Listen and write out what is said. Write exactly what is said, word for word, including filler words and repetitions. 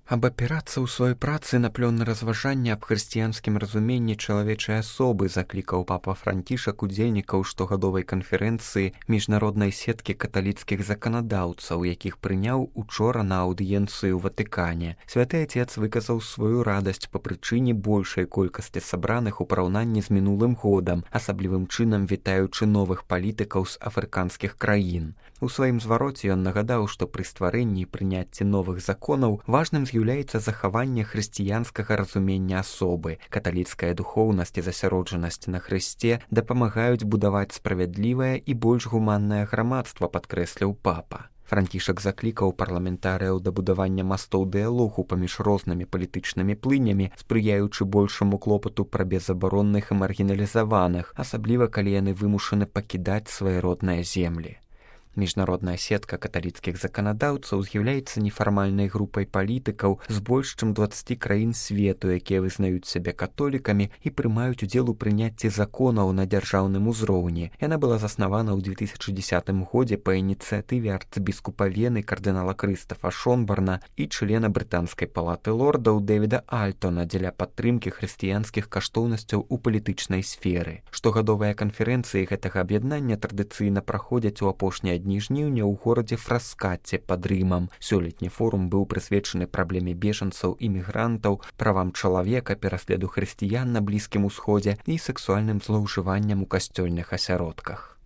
Аб апірацца ў сваёй працы на плённы разважанне аб хрысціянскім разуменні чалавечай асобы заклікаў папа Францішак удзельнікаў штогадовай канферэнцыі міжнароднай сеткі каталіцкіх заканадаўцаў, якіх прыняў учора на аўдыенцыю ў Ватыкане. Святы Отец выказаў сваю радасць па прычыне большай колькасці сабраных у параўнанні з мінулым годам, асаблівым чынам вітаючы новых палітыкаў з афрыканскіх краін. У сваім звароце ён нагадаў, што пры стварэнні і прыняцці новых законаў важным з'яўляецца захаванне хрысціянскага разумення асобы. Каталіцкая духоўнасць і засяроджанасць на Хрысце дапамагаюць будаваць справядлівае і больш гуманнае грамадства, падкрэсліў папа. Францішак заклікаў парламентарыяў да будавання мастоў дыялогу паміж рознымі палітычнымі плынямі, спрыяючы большаму клопату пра безабаронных і маргіналізаваных, асабліва калі яны вымушаны пакідаць свае родныя землі. Міжнародная сетка каталіцкіх заканадаўцаў з'яўляецца нефармальнай групай палітыкаў з больш чым дваццаці краін свету, якія вызнаюць сябе католікамі і прымаюць удзел у прыняцці законаў на дзяржаўным узроўні. Яна была заснавана ў две тысячы дзесятым годзе па ініцыятыве арцыбіскупа Вены кардынала Крыстафа Шонбарна і члена брытанскай палаты лордаў Дэвіда Альтона дзеля падтрымкі хрысціянскіх каштоўнасцяў у палітычнай сферы. Штогадовыя канферэнцыі гэтага аб'яднання традыцыйна праходзяць у апошнія дні жніўня ў горадзе Фраскаце пад Рымам. Сёлетні форум быў прысвечаны праблеме бежанцаў і мігрантаў, правам чалавека, пераследу хрысціян на Блізкім Усходзе і сексуальным злоўжыванням у касцёльных асяродках.